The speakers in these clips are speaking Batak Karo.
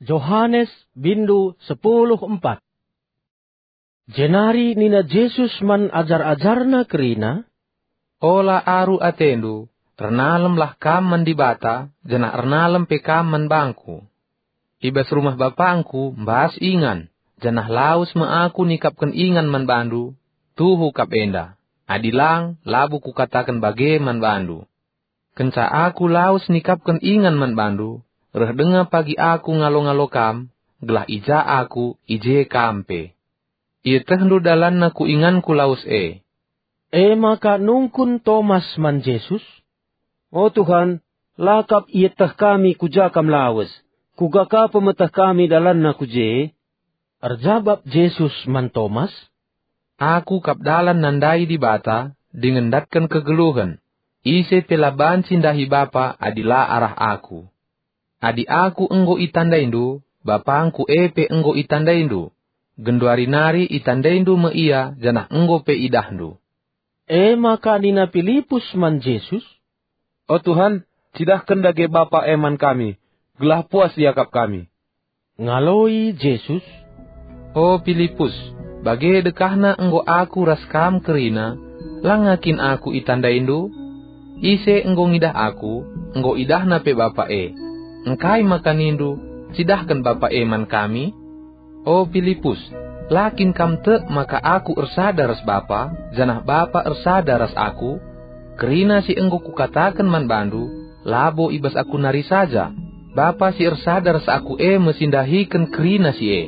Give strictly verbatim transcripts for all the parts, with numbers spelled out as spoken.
Johanes, bindu sepuluh empat. Jenari nina Jesus man ajar-ajarNa kerina, "Ola aru atendu, ernalemlah kam man Dibata, janah ernalem pe kam man bangKu. I bas rumah BapangKu mbas ingan, janah lawes me Aku nikapken ingan man bandu, tuhu kap enda. Adi lang, labo Kukataken bage man bandu. Kenca Aku lawes nikapken ingan man bandu, reh denga pagi Aku ngalo-ngalo kam, gelah i ja Aku, i je kam pe. Ietehndu dalanna ku inganKu lawes e." E maka nungkun Tomas man Jesus, "O Tuhan, la kap ieteh kami ku ja Kam lawes, kuga ka pemeteh kami dalanna ku je?" Erjabap Jesus man Tomas, "Aku kap dalan nandai Dibata dingen ndatken kegeluhen. Ise pe la banci ndahi Bapa adi la arah Aku. Adi Aku enggo itandaindu, BapangKu e pe enggo itandaindu. Genduari nari itandaindu me Ia janah enggo pe idahndu." E maka nina Pilipus man Jesus, "O Tuhan, cidahken dage Bapa e man kami, gelah puas iakap kami." Ngaloi Jesus, "O Pilipus, bage dekahna enggo Aku ras kam kerina, la nga kin Aku itandaindu? Ise enggo ngidah Aku, enggo idahna pe Bapa e. Engkai maka nindu, 'Cidahken Bapa e man kami'? O Pilipus, la kin kam tek maka Aku ersada ras Bapa, janah Bapa ersada ras Aku? Kerina si enggo Kukataken man bandu, labo i bas Aku nari saja. Bapa si ersada ras Aku e me si ndahiken kerina si e.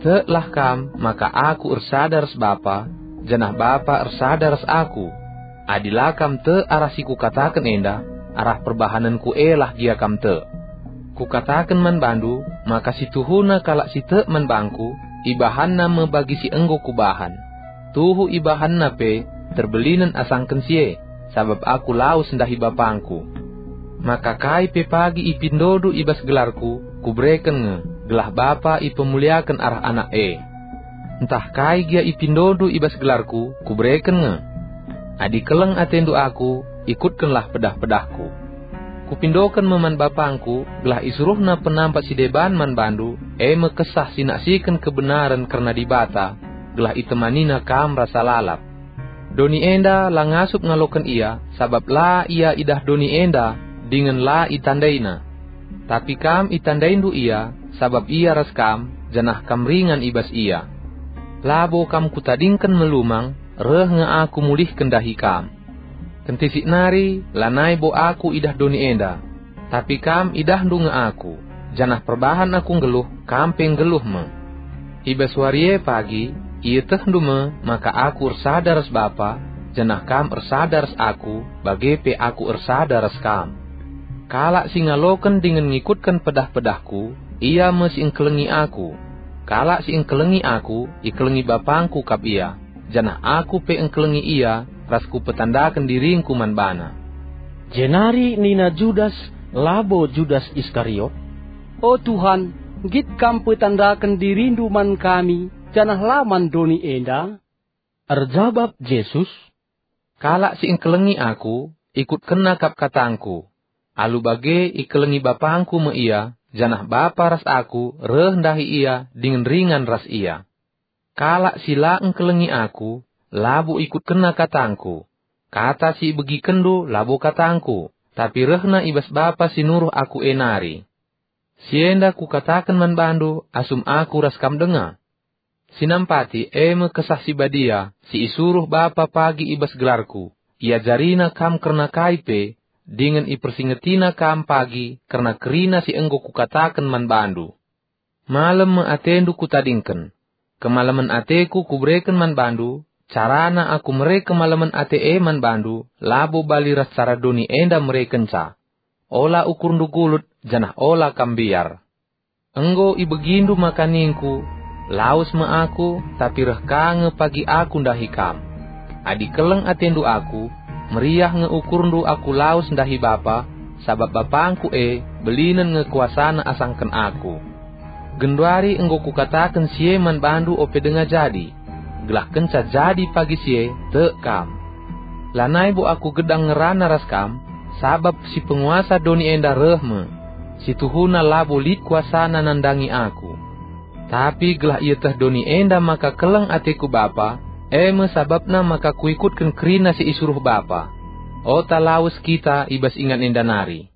Teklah kam maka Aku ersada ras Bapa, janah Bapa ersada ras Aku. Adi la kam tek arah si Kukataken enda, arah perbahanenKu e lah gia kam tek. Kukataken man bandu maka si tuhuna kalak si tek man bangKu, ibahanna me bagi si enggo Kubahan. Tuhu ibahanna pe terbelinen asangken si e, sabap Aku lawes ndahi BapangKu. Maka kai pe pagi ipindondu i bas gelarKu, Kubereken nge, gelah Bapa ipemuliaken arah Anak e. Ntah kai gia ipindondu i bas gelarKu, Kubereken nge. Adi keleng atendu Aku, ikutkenlah pedah-pedahKu. Kupindoken me man BapangKu, gelah isuruhNa Penampat si deban man bandu, e me Kesah si naksiken kebenaren kerna Dibata, gelah itemaniNa kam rasa lalap. Doni enda la ngasup ngaloken Ia, sabap la Ia idah doni enda, dingen la itandaina. Tapi kam itandaindu Ia, sabap Ia ras kam, janah kam ringan i bas Ia. Labo kam Kutadingken melumang, reh nge Aku mulihken ndahi kam. Kentisik nari, lanai bo Aku idah doni enda, tapi kam idahndu nge Aku, janah perbahan Aku nggeluh, kam pe nggeluh me. I bas wari e pagi, ietehndu me maka Aku ersada ras Bapa, janah kam ersada ras Aku, bage pe Aku ersada ras kam. Kalak si ngaloken dingen ngikutken pedah-pedahKu, ia me si engkelengi Aku. Kalak si engkelengi Aku, ikelengi BapangKu kap ia, janah Aku pe engkelengi ia ras Kupetandaken diringKu man bana." Jenari nina Judas, labo Judas Iskariot, "O Tuhan, nggit Kam petandaken diriNdu man kami, janah la man doni enda?" Erjabap Jesus, "Kalak si engkelengi Aku, ikutkenna kap katangKu. Alu bage ikelengi BapangKu me ia, janah Bapa ras Aku reh ndahi ia dingen ringan ras ia. Kalak si la engkelengi Aku, labo ikutkenna katangKu. Kata si ibegikenndu labo katangKu, tapi rehna i bas Bapa si nuruh Aku e nari. Si enda Kukataken man bandu asum Aku ras kam denga. Si nampati e me Kesah Si Badia si isuruh Bapa pagi i bas gelarKu. IajariNa kam kerna kai pe, dingen ipersingetiNa kam pagi kerna kerina si enggo Kukataken man bandu. Malem me atendu Kutadingken. Kemalemen ateKu Kubereken man bandu, carana Aku mere kemalemen ate e man bandu, labo bali ras cara doni enda merekenca. Ola ukurndu gulut, janah ola kam mbiar. Enggo ibegindu maka ningKu, 'Lawes me Aku, tapi reh ka nge pagi Aku ndahi kam.' Adi keleng atendu Aku, meriah nge ukurndu Aku lawes ndahi Bapa, sabap BapangKu e, belinen nge kuasana asangken Aku. Genduari enggo Kukataken si e man bandu ope denga jadi, gelah kenca jadi pagi si e, tek kam. Lanai bo Aku gedang ngerana ras kam, sabap si penguasa doni enda reh me. si tuhuna labo lit kuasana nandangi aku. Tapi gelah ieteh doni enda maka keleng ateku Bapa, e me sabapna maka kuikutken kerina si isuruh Bapa. Ota lawes kita i bas ingan enda nari.